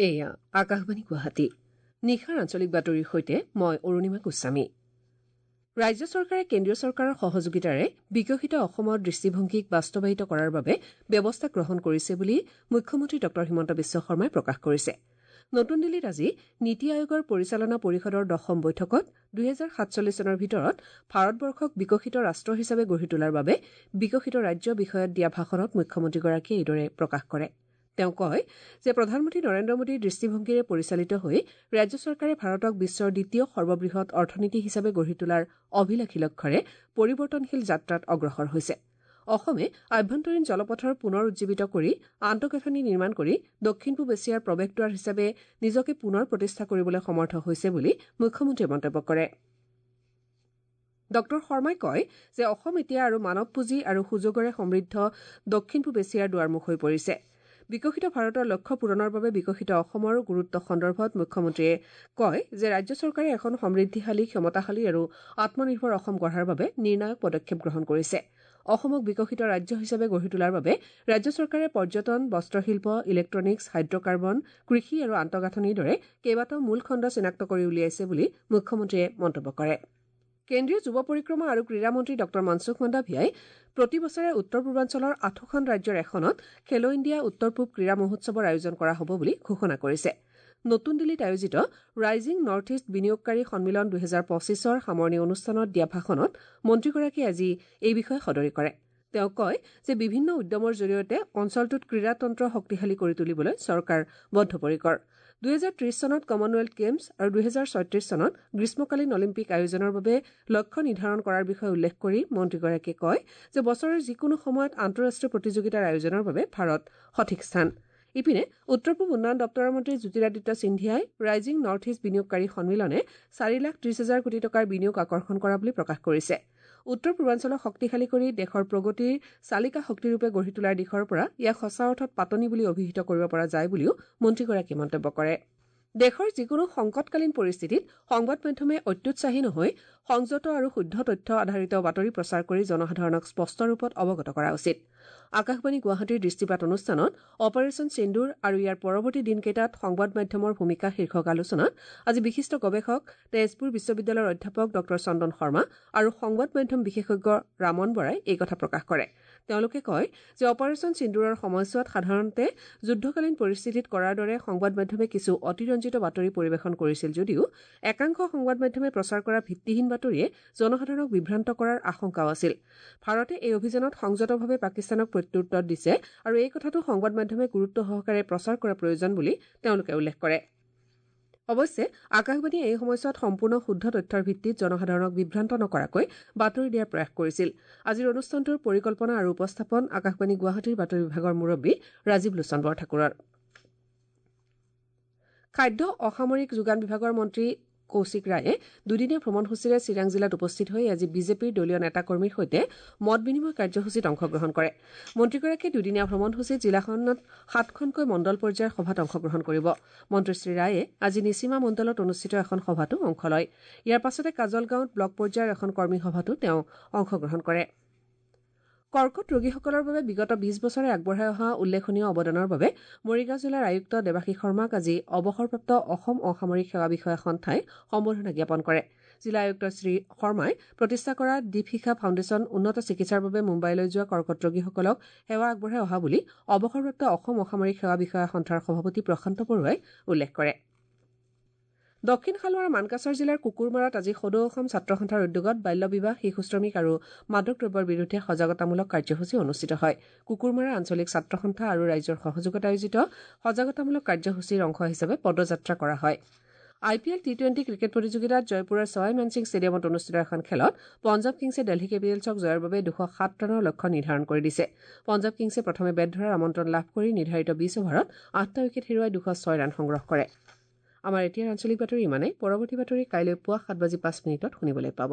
এয়া আকাশবাণী গুৱাহাটী। নিশাৰ আঞ্চলিক বাতৰিৰ সৈতে মই অৰুণিমা গোস্বামী। ৰাজ্য চৰকাৰে কেন্দ্ৰীয় চৰকাৰৰ সহযোগিতাৰে বিকশিত অসমৰ দৃষ্টিভংগীক বাস্তৱায়িত কৰাৰ বাবে ব্যৱস্থা গ্ৰহণ কৰিছে বুলি মুখ্যমন্ত্ৰী ডঃ হিমন্ত বিশ্ব শৰ্মাই প্ৰকাশ কৰিছে। নতুন দিল্লীত আজি নীতি আয়োগৰ পৰিচালনা পৰিষদৰ দশম বৈঠকত ২০৪৭ চনৰ ভিতৰত ভাৰতবৰ্ষক বিকশিত ৰাষ্ট্ৰ হিচাপে গঢ়ি তোলাৰ বাবে বিকশিত ৰাজ্য বিষয়ত দিয়া ভাষণত মুখ্যমন্ত্ৰীগৰাকীয়ে এইদৰে প্ৰকাশ কৰে। তেওঁ কয় যে প্ৰধানমন্ত্ৰী নৰেন্দ্ৰ মোদীৰ দৃষ্টিভংগীৰে পৰিচালিত হৈ ৰাজ্য চৰকাৰে ভাৰতক বিশ্বৰ দ্বিতীয় সৰ্ববৃহৎ অৰ্থনীতি হিচাপে গঢ়ি তোলাৰ অভিলাষী লক্ষ্যৰে পৰিৱৰ্তনশীল যাত্ৰাত অগ্ৰসৰ হৈছে। অসমে আভ্যন্তৰীণ জলপথৰ পুনৰ উজ্জীৱিত কৰি আন্তঃগাঁথনি নিৰ্মাণ কৰি দক্ষিণ পূব এছিয়াৰ প্ৰৱেশদ্বাৰ হিচাপে নিজকে পুনৰ প্ৰতিষ্ঠা কৰিবলৈ সমৰ্থ হৈছে বুলি মুখ্যমন্ত্ৰীয়ে মন্তব্য কৰে। ডঃ শৰ্মাই কয় যে অসম এতিয়া আৰু মানৱ পুঁজি আৰু সুযোগৰে সমৃদ্ধ দক্ষিণ পূব এছিয়াৰ দুৱাৰমুখ হৈ পৰিছে। বিকশিত ভাৰতৰ লক্ষ্য পূৰণৰ বাবে বিকশিত অসমৰ গুৰুত্ব সন্দৰ্ভত মুখ্যমন্ত্ৰীয়ে কয় যে ৰাজ্য চৰকাৰে এখন সমৃদ্ধিশালী, ক্ষমতাশালী আৰু আত্মনিৰ্ভৰ অসম গঢ়াৰ বাবে নিৰ্ণায়ক পদক্ষেপ গ্ৰহণ কৰিছে। অসমক বিকশিত ৰাজ্য হিচাপে গঢ়ি তোলাৰ বাবে ৰাজ্য চৰকাৰে পৰ্যটন, বস্ত্ৰশিল্প, ইলেক্ট্ৰনিক্স, হাইড্ৰকাৰ্বন, কৃষি আৰু আন্তঃগাঁথনিৰ দৰে কেইবাটাও মূল খণ্ড চিনাক্ত কৰি উলিয়াইছে বুলি মুখ্যমন্ত্ৰীয়ে মন্তব্য কৰে। কেন্দ্ৰীয় যুৱ পৰিক্ৰমা আৰু ক্ৰীড়া মন্ত্ৰী ডঃ মনসুখ মাণ্ডাভিয়াই প্ৰতি বছৰে উত্তৰ পূৰ্বাঞ্চলৰ আঠোখন ৰাজ্যৰ এখনত খেলো ইণ্ডিয়া উত্তৰ পূব ক্ৰীড়া মহোৎসৱৰ আয়োজন কৰা হ'ব বুলি ঘোষণা কৰিছে। নতুন দিল্লীত আয়োজিত ৰাইজিং নৰ্থ ইষ্ট বিনিয়োগকাৰী সন্মিলন ২০২৫ৰ সামৰণি অনুষ্ঠানত দিয়া ভাষণত মন্ত্ৰীগৰাকীয়ে আজি এই বিষয়ে সদৰি কৰে। তেওঁ কয় যে বিভিন্ন উদ্যমৰ জৰিয়তে অঞ্চলটোত ক্ৰীড়াতন্ত্ৰ শক্তিশালী কৰি তুলিবলৈ চৰকাৰ বদ্ধপৰিকৰ। ২০৩০ চনত কমনৱেলথ গেমছ আৰু ২০৩৬ চনত গ্ৰীষ্মকালীন অলিম্পিক আয়োজনৰ বাবে লক্ষ্য নিৰ্ধাৰণ কৰাৰ বিষয়ে উল্লেখ কৰি মন্ত্ৰীগৰাকীয়ে কয় যে বছৰৰ যিকোনো সময়ত আন্তঃৰাষ্ট্ৰীয় প্ৰতিযোগিতাৰ আয়োজনৰ বাবে ভাৰত সঠিক স্থান। ইপিনে উত্তৰ পূব উন্নয়ন দপ্তৰৰ মন্ত্ৰী জ্যোতিৰাদিত্য সিন্ধিয়াই ৰাইজিং নৰ্থ ইষ্ট বিনিয়োগকাৰী সন্মিলনে ৪,৩০,০০০ কোটি টকাৰ বিনিয়োগ আকৰ্ষণ কৰা বুলি প্ৰকাশ কৰিছে। উত্তৰ পূৰ্বাঞ্চলক শক্তিশালী কৰি দেশৰ প্ৰগতিৰ চালিকা শক্তিৰূপে গঢ়ি তোলাৰ দিশৰ পৰা ইয়াক সঁচা অৰ্থত পাতনি বুলি অভিহিত কৰিব পৰা যায় বুলিও মন্ত্ৰীগৰাকীয়ে মন্তব্য কৰে। দেশৰ যিকোনো সংকটকালীন পৰিস্থিতিত সংবাদ মাধ্যমে অত্যুৎসাহী নহৈ সংযত আৰু শুদ্ধ তথ্য আধাৰিত বাতৰি প্ৰচাৰ কৰি জনসাধাৰণক স্পষ্ট ৰূপত অৱগত কৰা উচিত। আকাশবাণী গুৱাহাটীৰ দৃষ্টিপাত অনুষ্ঠানত অপাৰেচন সিন্দুৰ আৰু ইয়াৰ পৰৱৰ্তী দিনকেইটাত সংবাদ মাধ্যমৰ ভূমিকা শীৰ্ষক আলোচনাত আজি বিশিষ্ট গৱেষক তেজপুৰ বিশ্ববিদ্যালয়ৰ অধ্যাপক ডঃ চন্দন শৰ্মা আৰু সংবাদ মাধ্যম বিশেষজ্ঞ ৰামন বৰাই এই কথা প্ৰকাশ কৰে। তেওঁলোকে কয় যে অপাৰেচন সিন্দুৰৰ সময়ছোৱাত সাধাৰণতে যুদ্ধকালীন পৰিস্থিতিত কৰাৰ দৰে সংবাদ মাধ্যমে কিছু অতিৰঞ্জিত বাতৰি পৰিৱেশন কৰিছিল যদিও একাংশ সংবাদ মাধ্যমে প্ৰচাৰ কৰা ভিত্তিহীন বাতৰিয়ে জনসাধাৰণক বিভ্ৰান্ত কৰাৰ আশংকাও আছিল। ভাৰতে এই অভিযানত সংযতভাৱে পাকিস্তানক প্ৰত্যুত্তৰ দিছে আৰু এই কথাটো সংবাদ মাধ্যমে গুৰুত্ব সহকাৰে প্ৰচাৰ কৰা প্ৰয়োজন বুলি তেওঁলোকে উল্লেখ কৰে। অৱশ্যে আকাশবাণীয়ে এই সময়ছোৱাত সম্পূৰ্ণ শুদ্ধ তথ্যৰ ভিত্তিত জনসাধাৰণক বিভ্ৰান্ত নকৰাকৈ বাতৰি দিয়াৰ প্ৰয়াস কৰিছিল। আজিৰ অনুষ্ঠানটোৰ পৰিকল্পনা আৰু উপস্থাপন আকাশবাণী গুৱাহাটীৰ বাতৰি বিভাগৰ মুৰব্বী ৰাজীৱ লোচন বৰঠাকুৰৰ। খাদ্য অসামৰিক যোগান বিভাগৰ মন্ত্ৰী কৌশিক ৰায়ে দুদিনীয়া ভ্ৰমণসূচীৰে চিৰাং জিলাত উপস্থিত হৈ আজি বিজেপিৰ দলীয় নেতাকৰ্মীৰ সৈতে মত বিনিময় কাৰ্যসূচীত অংশগ্ৰহণ কৰে। মন্ত্ৰীগৰাকীয়ে দুদিনীয়া ভ্ৰমণসূচীত জিলাখনত সাতখনকৈ মণ্ডল পৰ্যায়ৰ সভাত অংশগ্ৰহণ কৰিব। মন্ত্ৰী শ্ৰী ৰায়ে আজি নিচিমা মণ্ডলত অনুষ্ঠিত এখন সভাতো অংশ লয়। ইয়াৰ পাছতে কাজলগাঁৱত ব্লক পৰ্যায়ৰ এখন কৰ্মী সভাতো তেওঁ অংশগ্ৰহণ কৰে। কৰ্কট ৰোগীসকলৰ বাবে বিগত ২০ বছৰে আগবঢ়াই অহা উল্লেখনীয় অৱদানৰ বাবে মৰিগাঁও জিলাৰ আয়ুক্ত দেৱাশীষ শৰ্মাক আজি অৱসৰপ্ৰাপ্ত অসম অসামৰিক সেৱা বিষয়া সন্থাই সম্বৰ্ধনা জ্ঞাপন কৰে। জিলা আয়ুক্ত শ্ৰী শৰ্মাই প্ৰতিষ্ঠা কৰা দীপশিখা ফাউণ্ডেশ্যন উন্নত চিকিৎসাৰ বাবে মুম্বাইলৈ যোৱা কৰ্কট ৰোগীসকলক সেৱা আগবঢ়াই অহা বুলি অৱসৰপ্ৰাপ্ত অসম অসামৰিক সেৱা বিষয়া সন্থাৰ সভাপতি প্ৰশান্ত বৰুৱাই উল্লেখ কৰে। দক্ষিণ শালমাৰা মানকাছৰ জিলাৰ কুকুৰমাৰাত আজি সদৌ অসম ছাত্ৰ সন্থাৰ উদ্যোগত বাল্য বিবাহ, শিশু শ্ৰমিক আৰু মাদক দ্ৰব্যৰ বিৰুদ্ধে সজাগতামূলক কাৰ্যসূচী অনুষ্ঠিত হয়। কুকুৰমাৰা আঞ্চলিক ছাত্ৰ সন্থা আৰু ৰাইজৰ সহযোগত আয়োজিত সজাগতামূলক কাৰ্যসূচীৰ অংশ হিচাপে পদযাত্ৰা কৰা হয়। আই পি এল টি-টুৱেণ্টি ক্ৰিকেট প্ৰতিযোগিতাত জয়পুৰৰ ছৱাই মানসিং ষ্টেডিয়ামত অনুষ্ঠিত এখন খেলত পঞ্জাৱ কিংছে দিল্লী কেপিটেলছক জয়ৰ বাবে ২০৭ ৰানৰ লক্ষ্য নিৰ্ধাৰণ কৰি দিছে। পঞ্জাৱ কিংছে প্ৰথমে বেট ধৰাৰ আমন্ত্ৰণ লাভ কৰি নিৰ্ধাৰিত ২০ অভাৰত ৮টা উইকেট হেৰুৱাই ২০৬ ৰান সংগ্ৰহ কৰে। আমাৰ এতিয়াৰ আঞ্চলিক বাতৰি ইমানেই। পৰৱৰ্তী বাতৰি কাইলৈ পুৱা ৭:০৫ শুনিবলৈ পাব।